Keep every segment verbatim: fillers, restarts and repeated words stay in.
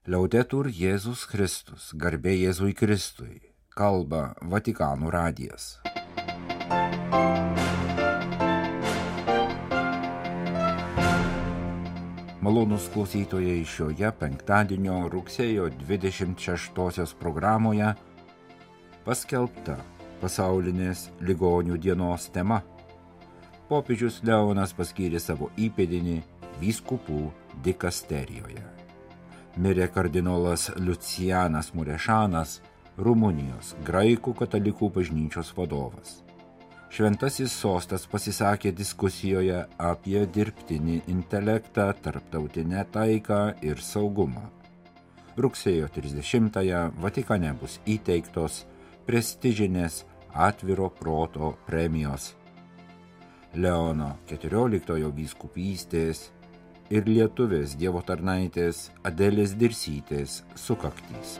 Liaudetur Jėzus Kristus, garbė Jėzui Kristui, kalba Vatikano radijas. Malonūs klausytojai, šioje penktadienio rugsėjo dvidešimt šeštosios programoje paskelbta pasaulinės ligonių dienos tema. Popiežius Leonas paskyrė savo įpėdinį vyskupų dikasterijoje. Mirė kardinolas Lucianas Murešanas, Rumunijos graikų katalikų bažnyčios vadovas. Šventasis sostas pasisakė diskusijoje apie dirbtinį intelektą, tarptautinę taiką ir saugumą. Rugsėjo trisdešimtąją Vatikane bus įteiktos prestižinės atviro proto premijos Leono keturioliktojo vyskupystės ir lietuvės dievo tarnaitės Adelės Dirsytės sukaktys.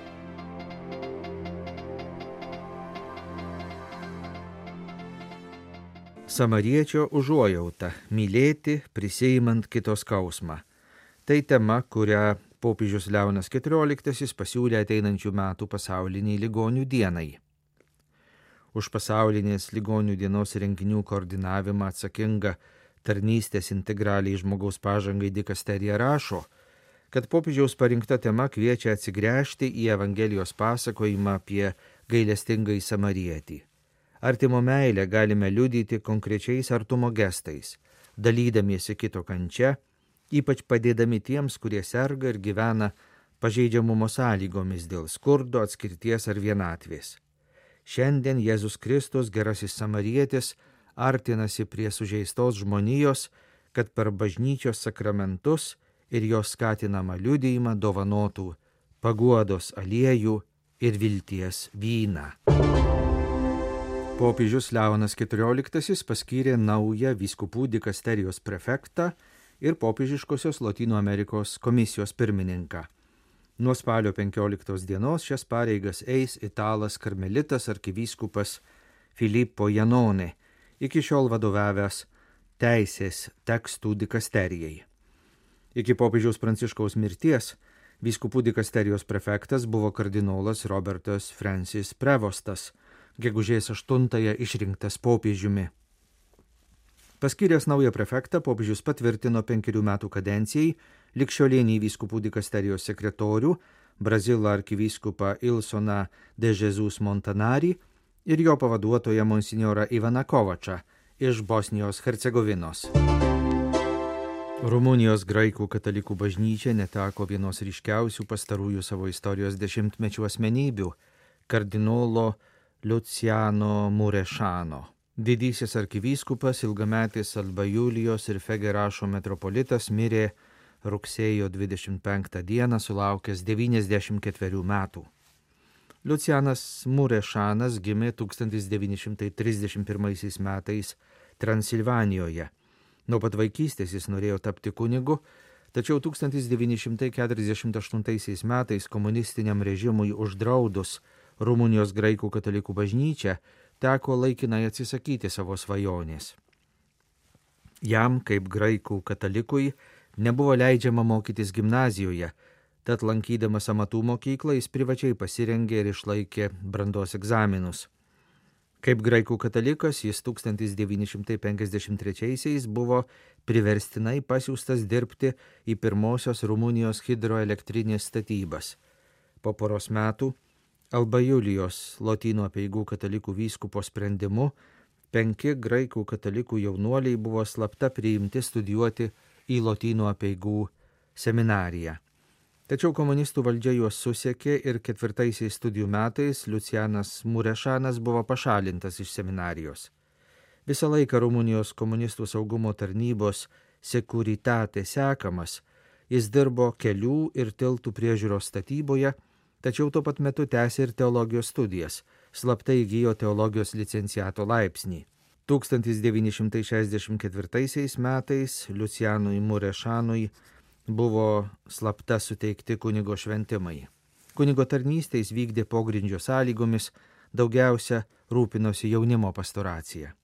Samariečio užuojauta – mylėti, prisiimant kito skausmą. Tai tema, kurią popiežius Leonas keturioliktasis pasiūlė ateinančių metų pasauliniai ligonių dienai. Už pasaulinės ligonių dienos renginių koordinavimą atsakinga tarnystės integraliai žmogaus pažangai dikasterija rašo, kad popiežiaus parinkta tema kviečia atsigręžti į Evangelijos pasakojimą apie gailestingąjį samarietį. Artimo meilę galime liudyti konkrečiais artumo gestais, dalydamiesi kito kančia, ypač padėdami tiems, kurie serga ir gyvena pažeidžiamumo sąlygomis dėl skurdo, atskirties ar vienatvės. Šiandien Jėzus Kristus, gerasis samarietis, artinasi prie sužeistos žmonijos, kad per bažnyčios sakramentus ir jos skatinamą liudijimą dovanotų paguodos aliejų ir vilties vyną. Popiežius Leonas keturioliktasis paskyrė naują vyskupų dikasterijos prefektą ir popiežiškosios Lotynų Amerikos komisijos pirmininką. Nuo spalio penkioliktos dienos šias pareigas eis italas karmelitas arkivyskupas Filippo Janone, iki šiol vadovavęs teisės tekstų dikasterijai. Iki popiežiaus Pranciškaus mirties vyskupų dikasterijos prefektas buvo kardinolas Robertas Francis Prevostas, gegužės aštuntąją išrinktas popiežiumi. Paskyręs naują prefektą, popiežius patvirtino penkerių metų kadencijai ligšiolinį vyskupų dikasterijos sekretorių, Brazilo arkivyskupą Ilsoną de Jesus Montanari ir jo pavaduotoją monsinjorą Ivaną Kovačą iš Bosnijos Hercegovinos. Rumunijos graikų katalikų bažnyčia neteko vienos ryškiausių pastarųjų savo istorijos dešimtmečių asmenybių – kardinolo Luciano Murešano. Didysis arkivyskupas, ilgametis Alba Julijos ir Fegerašo metropolitas mirė rugsėjo dvidešimt penktą dieną sulaukęs devyniasdešimt ketverių metų. Lucianas Murešanas gimė tūkstantis devyni šimtai trisdešimt pirmaisiais metais Transilvanijoje. Nuo pat vaikystės jis norėjo tapti kunigu, tačiau tūkstantis devyni šimtai keturiasdešimt aštuntaisiais metais komunistiniam režimui uždraudus Rumunijos graikų katalikų bažnyčią, teko laikinai atsisakyti savo svajonės. Jam, kaip graikų katalikui, nebuvo leidžiama mokytis gimnazijoje, tad lankydamas amatų mokyklą jis privačiai pasirengė ir išlaikė brandos egzaminus. Kaip graikų katalikas jis tūkstantis devyni šimtai penkiasdešimt trečiaisiais buvo priverstinai pasiųstas dirbti į pirmosios Rumunijos hidroelektrinės statybas. Po poros metų Alba Julijos Lotynų apeigų katalikų vyskupo sprendimu penki graikų katalikų jaunuoliai buvo slapta priimti studijuoti į Lotynų apeigų seminariją. Tačiau komunistų valdžia juos susekė ir ketvirtaisiais studijų metais Lucianas Murešanas buvo pašalintas iš seminarijos. Visą laiką Rumunijos komunistų saugumo tarnybos Securitate sekamas, jis dirbo kelių ir tiltų priežiūros statyboje, tačiau tuo pat metu tęsė ir teologijos studijas, slaptai įgijo teologijos licenciato laipsnį. tūkstantis devyni šimtai šešiasdešimt ketvirtaisiais metais Lucianui Murešanui buvo slapta suteikti kunigo šventimai. Kunigo tarnystę jis vykdė pogrindžio sąlygomis, daugiausia rūpinosi jaunimo pastoracija.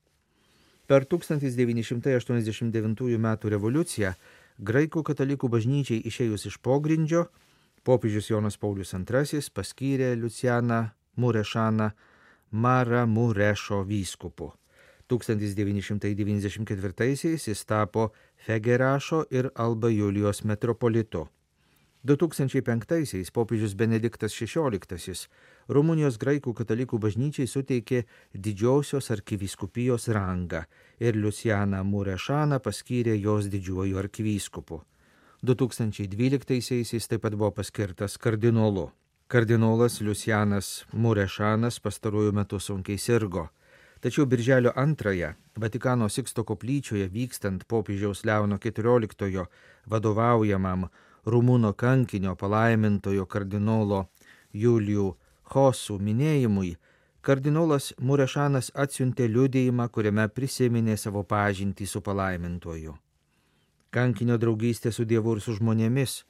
Per tūkstantis devyni šimtai aštuoniasdešimt devintųjų metų revoliuciją graikų katalikų bažnyčiai išėjus iš pogrindžio, Popiežius Jonas Paulius antrasis paskyrė Lucianą Murešaną Maramurešo vyskupu. tūkstantis devyni šimtai devyniasdešimt ketvirtaisiais jis tapo Fegerašo ir Alba Julijos metropolitu. du tūkstančiai penktaisiais popiežius Benediktas šešioliktasis Rumunijos graikų katalikų bažnyčiai suteikė didžiosios arkivyskupijos rangą ir Lucianą Murešaną paskyrė jos didžiuoju arkivyskupu. du tūkstančiai dvyliktaisiais jis taip pat buvo paskirtas kardinolu. Kardinolas Lucianas Murešanas pastaruoju metu sunkiai sirgo. Tačiau birželio antrąją Vatikano Siksto koplyčioje vykstant popiežiaus Leono keturioliktojo vadovaujamam rumūno kankinio palaimintojo kardinolo Julijų Hosų minėjimui, kardinolas Murešanas atsiuntė liudijimą, kuriame prisiminė savo pažintį su palaimintoju. Kankinio draugystė su Dievu ir su žmonėmis,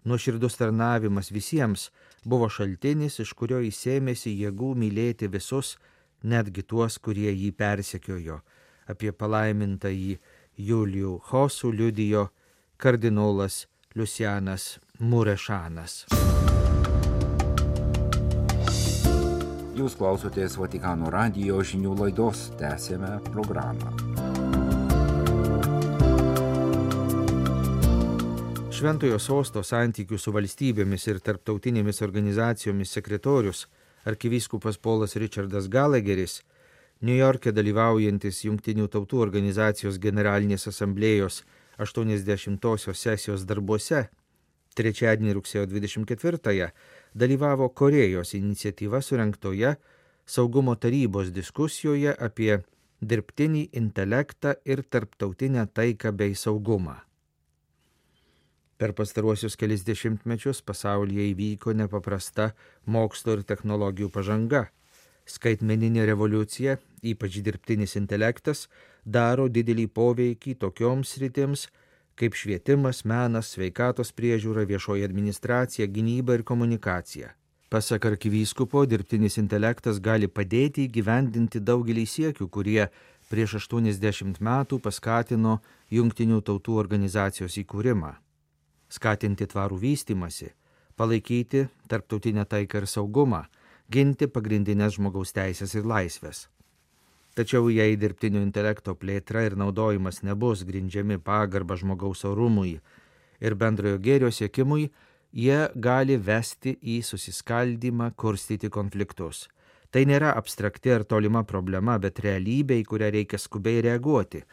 nuoširdus tarnavimas visiems buvo šaltinis, iš kurio jis ėmėsi jėgų mylėti visus, netgi tuos, kurie jį persekiojo. Apie palaimintąjį Julijų Hosų liudijo kardinolas Lucianas Murešanas. Jūs klausotės Vatikano radijo žinių laidos, tęsėme programą. Šventojo sosto santykių su valstybėmis ir tarptautinėmis organizacijomis sekretorius arkivyskupas Polas Richardas Gallagheris, Niujorke dalyvaujantis Jungtinių tautų organizacijos generalinės asamblėjos aštuoniasdešimtosios sesijos darbuose, trečiadienį rugsėjo dvidešimt ketvirtąją dalyvavo Korėjos iniciatyva surengtoje Saugumo tarybos diskusijoje apie dirbtinį intelektą ir tarptautinę taiką bei saugumą. Per pastaruosius kelis dešimtmečius pasaulyje įvyko nepaprasta mokslo ir technologijų pažanga. Skaitmeninė revoliucija, ypač dirbtinis intelektas, daro didelį poveikį tokioms sritims kaip švietimas, menas, sveikatos priežiūra, viešoji administracija, gynyba ir komunikacija. Pasak arkivyskupo, dirbtinis intelektas gali padėti įgyvendinti daugelį siekių, kurie prieš aštuoniasdešimt metų paskatino Jungtinių tautų organizacijos įkūrimą. Skatinti tvarų vystymasi, palaikyti tarptautinę taiką ir saugumą, ginti pagrindinės žmogaus teisės ir laisvės. Tačiau jei dirbtinio intelekto plėtra ir naudojimas nebus grindžiami pagarba žmogaus orumui ir bendrojo gėrio siekimui, jie gali vesti į susiskaldymą, kurstyti konfliktus. Tai nėra abstrakti ar tolima problema, bet realybė, į kurią reikia skubiai reaguoti,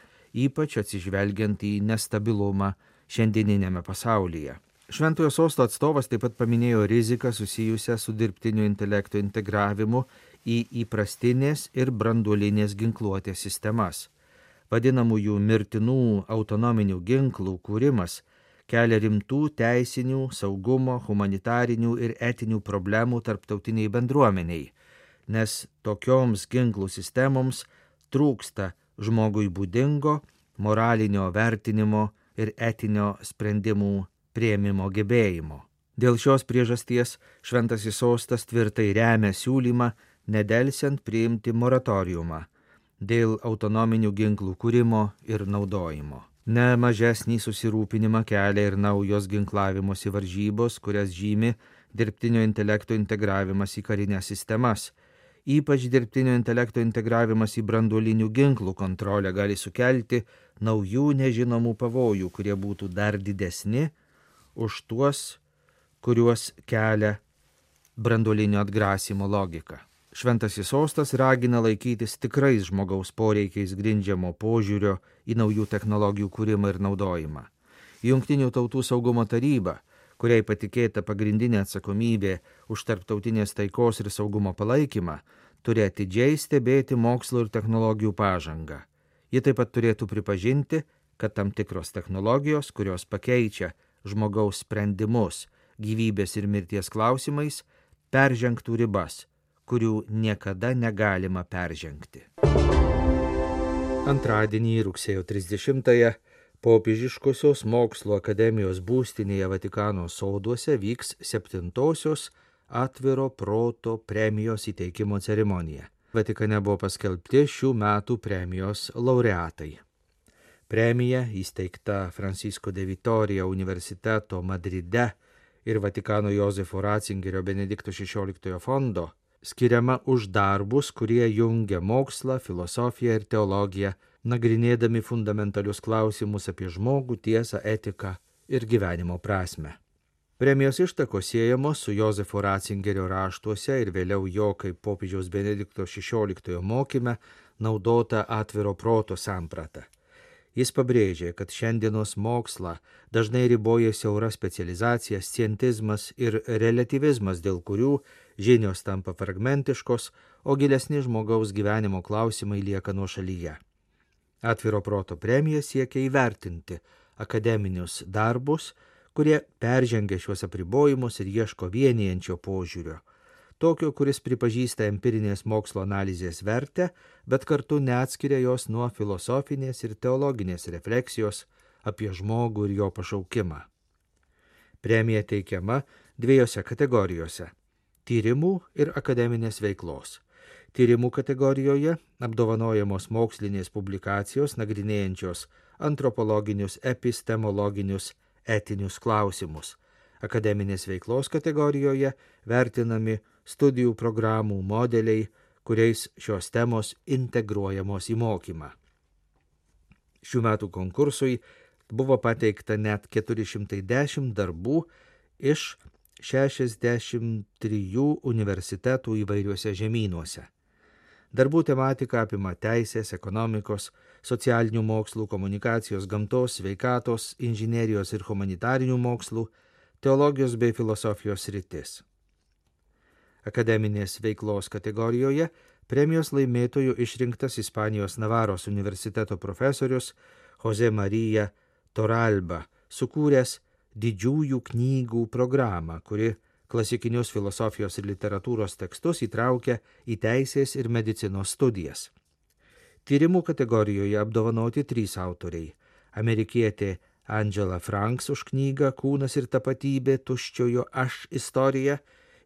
ypač atsižvelgiant į nestabilumą šiandieninėme pasaulyje. Šventojo sosto atstovas taip pat paminėjo riziką susijusią su dirbtinio intelekto integravimu į įprastinės ir branduolinės ginkluotės sistemas. Vadinamųjų mirtinų autonominių ginklų kūrimas kelia rimtų teisinių, saugumo, humanitarinių ir etinių problemų tarptautiniai bendruomeniai, nes tokioms ginklų sistemoms trūksta žmogui būdingo, moralinio vertinimo ir etinio sprendimų priėmimo gebėjimo. Dėl šios priežasties Šventasis sostas tvirtai remia siūlymą nedelsiant priimti moratoriumą dėl autonominių ginklų kūrimo ir naudojimo. Ne mažesnį susirūpinimą kelia ir naujos ginklavimosi varžybos, kurias žymi dirbtinio intelekto integravimas į karinės sistemas. Ypač dirbtinio intelekto integravimas į branduolinių ginklų kontrolę gali sukelti naujų nežinomų pavojų, kurie būtų dar didesni už tuos, kuriuos kelia branduolinio atgrasimo logika. Šventasis sostas ragina laikytis tikrais žmogaus poreikiais grindžiamo požiūrio į naujų technologijų kūrimą ir naudojimą. Jungtinių tautų saugumo taryba, kuriai patikėta pagrindinė atsakomybė už tarptautinės taikos ir saugumo palaikymą, turi atidžiai stebėti mokslo ir technologijų pažangą. Ji taip pat turėtų pripažinti, kad tam tikros technologijos, kurios pakeičia žmogaus sprendimus gyvybės ir mirties klausimais, peržengtų ribas, kurių niekada negalima peržengti. Antradienį rugsėjo trisdešimtąją Popiežiškosios mokslo akademijos būstinėje Vatikano soduose vyks septintosios atviro proto premijos įteikimo ceremonija. Vatikane buvo paskelbti šių metų premijos laureatai. Premija, įsteigta Francisco de Vitoria universiteto Madride ir Vatikano Jozefo Ratzingerio Benedikto šešioliktojo fondo skiriama už darbus, kurie jungia mokslą, filosofiją ir teologiją, nagrinėdami fundamentalius klausimus apie žmogų, tiesą, etiką ir gyvenimo prasmę. Premijos ištakos siejamos su Jozefo Ratzingerio raštuose ir vėliau jo kaip popiežiaus Benedikto šešioliktojo mokyme naudota atviro proto samprata. Jis pabrėžė, kad šiandienos mokslą dažnai riboja siaura specializacija, scientizmas ir relativizmas, dėl kurių žinios tampa fragmentiškos, o gilesni žmogaus gyvenimo klausimai lieka nuošalyje. Atviro proto premija siekia įvertinti akademinius darbus, kurie peržengia šiuos apribojimus ir ieško vienijančio požiūrio, tokio, kuris pripažįsta empirinės mokslo analizės vertę, bet kartu neatskiria jos nuo filosofinės ir teologinės refleksijos apie žmogų ir jo pašaukimą. Premija teikiama dviejose kategorijose – tyrimų ir akademinės veiklos. Tyrimų kategorijoje apdovanojamos mokslinės publikacijos nagrinėjančios antropologinius, epistemologinius, etinius klausimus. Akademinės veiklos kategorijoje vertinami studijų programų modeliai, kuriais šios temos integruojamos į mokymą. Šių metų konkursui buvo pateikta net keturi šimtai dešimt darbų iš šešiasdešimt trijų universitetų įvairiuose žemynuose. Darbų tematika apima teisės, ekonomikos, socialinių mokslų, komunikacijos, gamtos, sveikatos, inžinerijos ir humanitarinių mokslų, teologijos bei filosofijos sritis. Akademinės veiklos kategorijoje premijos laimėtojų išrinktas Ispanijos Navaros universiteto profesorius Jose Maria Torralba, sukūręs didžiųjų knygų programą, kuri klasikinius filosofijos ir literatūros tekstus įtraukia į teisės ir medicinos studijas. Tyrimų kategorijoje apdovanoti trys autoriai – amerikietė Angela Franks už knygą Kūnas ir tapatybė, tuščiojo aš istorija,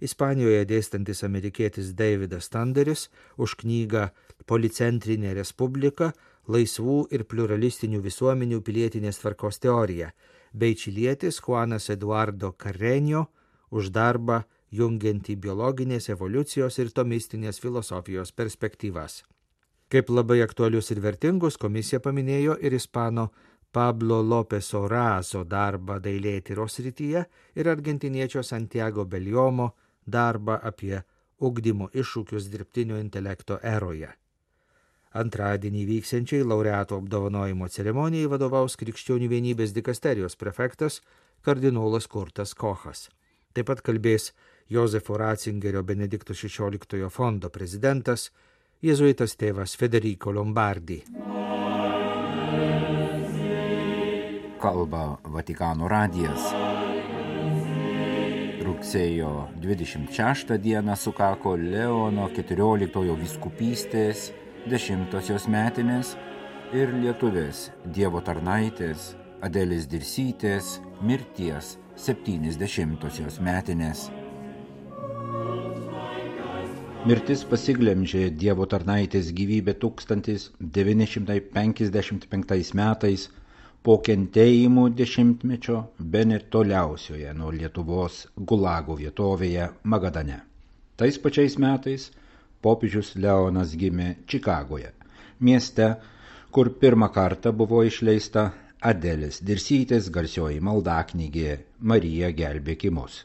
Ispanijoje dėstantis amerikietis Davidas Tanderis už knygą Policentrinė respublika, laisvų ir pluralistinių visuomenių pilietinės tvarkos teorija, bei čilietis Juanas Eduardo Carreño už darbą jungiantį biologinės evoliucijos ir tomistinės filosofijos perspektyvas. Kaip labai aktualius ir vertingus komisija paminėjo ir ispano Pablo López Orazo darbą dailėtyros srityje ir argentiniečio Santiago Beljomo darbą apie ugdymo iššūkius dirbtinio intelekto eroje. Antradienį vyksiančiai laureatų apdovanojimo ceremonijai vadovaus Krikščionių vienybės dikasterijos prefektas kardinolas Kurtas Kochas. Taip pat kalbės Jozefo Ratzingerio Benedikto šešioliktojo fondo prezidentas, jėzuitas tėvas Federico Lombardi. Kalba Vatikano radijas. Rugsėjo dvidešimt šeštą dieną sukako Leono keturioliktojo vyskupystės dešimtosios metinės ir lietuvės Dievo tarnaitės Adelės Dirsytės mirties septyniasdešimtosios metinės. Mirtis pasiglemžė Dievo tarnaitės gyvybę tūkstantis devyni šimtai penkiasdešimt penktais metais po kentėjimų dešimtmečio bene toliausioje nuo Lietuvos Gulago vietovėje Magadane. Tais pačiais metais popiežius Leonas gimė Čikagoje, mieste, kur pirmą kartą buvo išleista Adelės Dirsytės garsioji maldaknygė Marija gelbėk mus.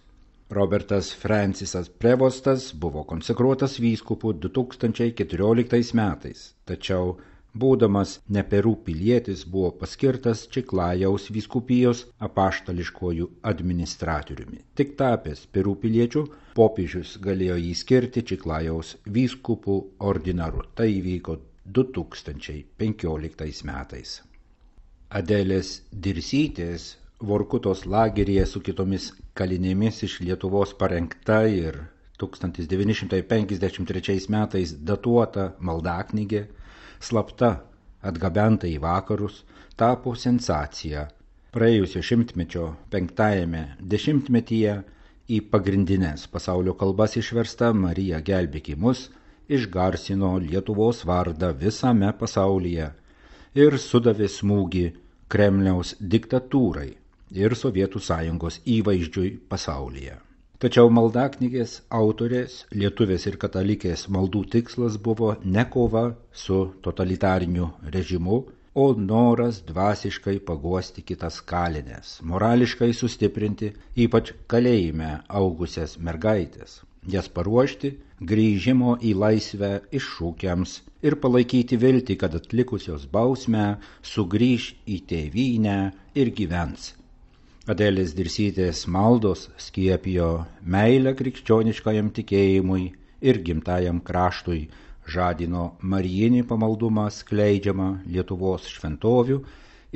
Robertas Francisas Prevostas buvo konsekruotas vyskupu du tūkstančiai keturioliktais metais, tačiau būdamas ne Perų pilietis buvo paskirtas Čiklajaus vyskupijos apaštališkuoju administratoriumi. Tik tapęs Perų piliečiu, popiežius galėjo jį skirti Čiklajaus vyskupų ordinaru. Tai įvyko du tūkstančiai penkioliktais metais. Adelės Dirsytės Vorkutos lageryje su kitomis kalinėmis iš Lietuvos parengta ir tūkstantis devyni šimtai penkiasdešimt trečiais metais datuota maldaknygė, slapta atgabenta į vakarus, tapo sensacija. Praėjusio šimtmečio penktajame dešimtmetyje į pagrindines pasaulio kalbas išversta Marija gelbėk mus išgarsino Lietuvos vardą visame pasaulyje ir sudavė smūgį Kremliaus diktatūrai. ir Sovietų sąjungos įvaizdžiui pasaulyje. Tačiau maldaknygės autorės, lietuvės ir katalikės maldų tikslas buvo ne kova su totalitariniu režimu, o noras dvasiškai paguosti kitas kalines, morališkai sustiprinti ypač kalėjime augusias mergaitės, jas paruošti grįžimo į laisvę iššūkiams ir palaikyti viltį, kad atlikusios bausmę sugrįž į tėvynę ir gyvens. Adelės Dirsytės maldos skiepijo meilę krikščioniškajam tikėjimui ir gimtajam kraštui, žadino marijinį pamaldumą skleidžiamą Lietuvos šventovių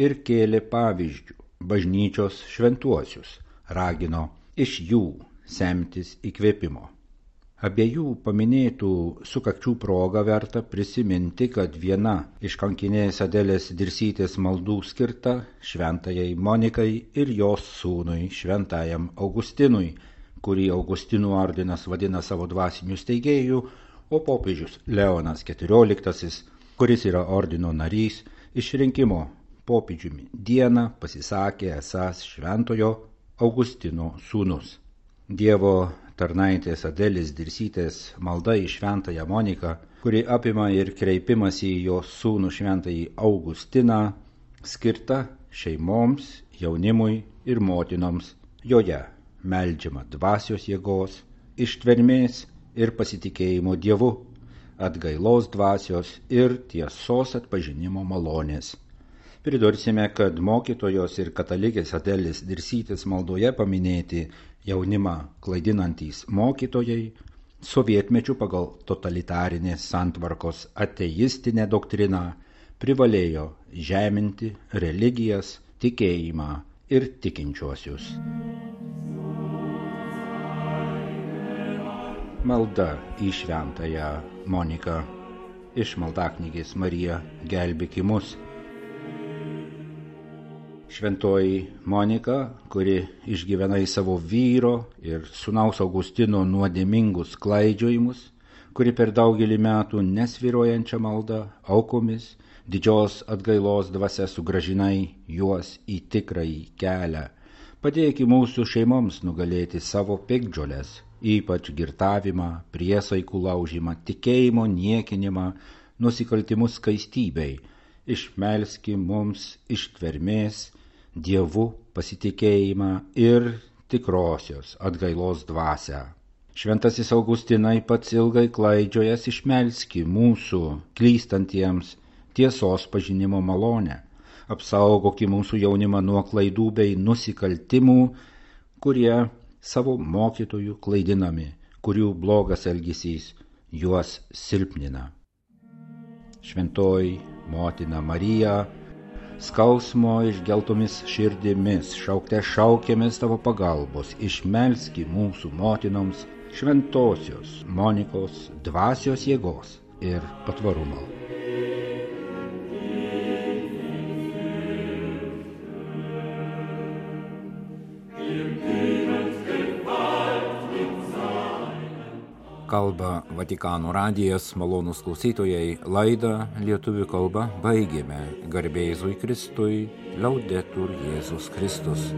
ir kėlė pavyzdžių bažnyčios šventuosius, ragino iš jų semtis įkvėpimo. Abiejų paminėtų sukakčių progą verta prisiminti, kad viena iš kankinės Adelės Dirsytės maldų skirta šventajai Monikai ir jos sūnui šventajam Augustinui, kurį Augustinų ordinas vadina savo dvasiniu steigėju, o popiežius Leonas keturioliktasis, kuris yra ordino narys, išrinkimo popiežiumi dieną pasisakė esąs šventojo Augustino sūnus. Dievo tarnaitės Adelės Dirsytės malda į šventąją Moniką, kuri apima ir kreipimąsi į jos sūnų šventąjį Augustiną, skirta šeimoms, jaunimui ir motinoms. Joje meldžiama dvasios jėgos, ištvermės ir pasitikėjimo Dievu, atgailos dvasios ir tiesos atpažinimo malonės. Pridursime, kad mokytojos ir katalikės Adelės Dirsytės maldoje paminėti jaunimą klaidinantys mokytojai, sovietmečių pagal totalitarinės santvarkos ateistinę doktriną privalėjo žeminti religijas, tikėjimą ir tikinčiuosius. Malda į šventąją Moniką iš maldaknygės Marija gelbėki mus. Šventoji Monika, kuri išgyvenai savo vyro ir sūnaus Augustino nuodėmingus klaidžiojimus, kuri per daugelį metų nesvyruojančią maldą aukomis, didžios atgailos dvasia sugrąžinai juos į tikrąjį kelią, padėki mūsų šeimoms nugalėti savo piktžoles, ypač girtavimą, priesaikų laužimą, tikėjimo niekinimą, nusikaltimus skaistybei, išmelski mums ištvermės, Dievu pasitikėjimą ir tikrosios atgailos dvasią. Šventasis Augustinai, pats ilgai klaidžiojas, išmelski mūsų klystantiems tiesos pažinimo malonę, apsaugoki mūsų jaunimą nuo klaidų bei nusikaltimų, kurie savo mokytojų klaidinami, kurių blogas elgesys juos silpnina. Šventoji motina Marija, skausmo išgeltomis širdimis, šaukte šaukėmės tavo pagalbos, išmelski mūsų motinoms šventosios Monikos dvasios jėgos ir patvarumo. Kalba Vatikano radijas, malonūs klausytojai, laidą lietuvių kalba baigėme. Garbė Jėzui Kristui, Laudetur Jėzus Kristus.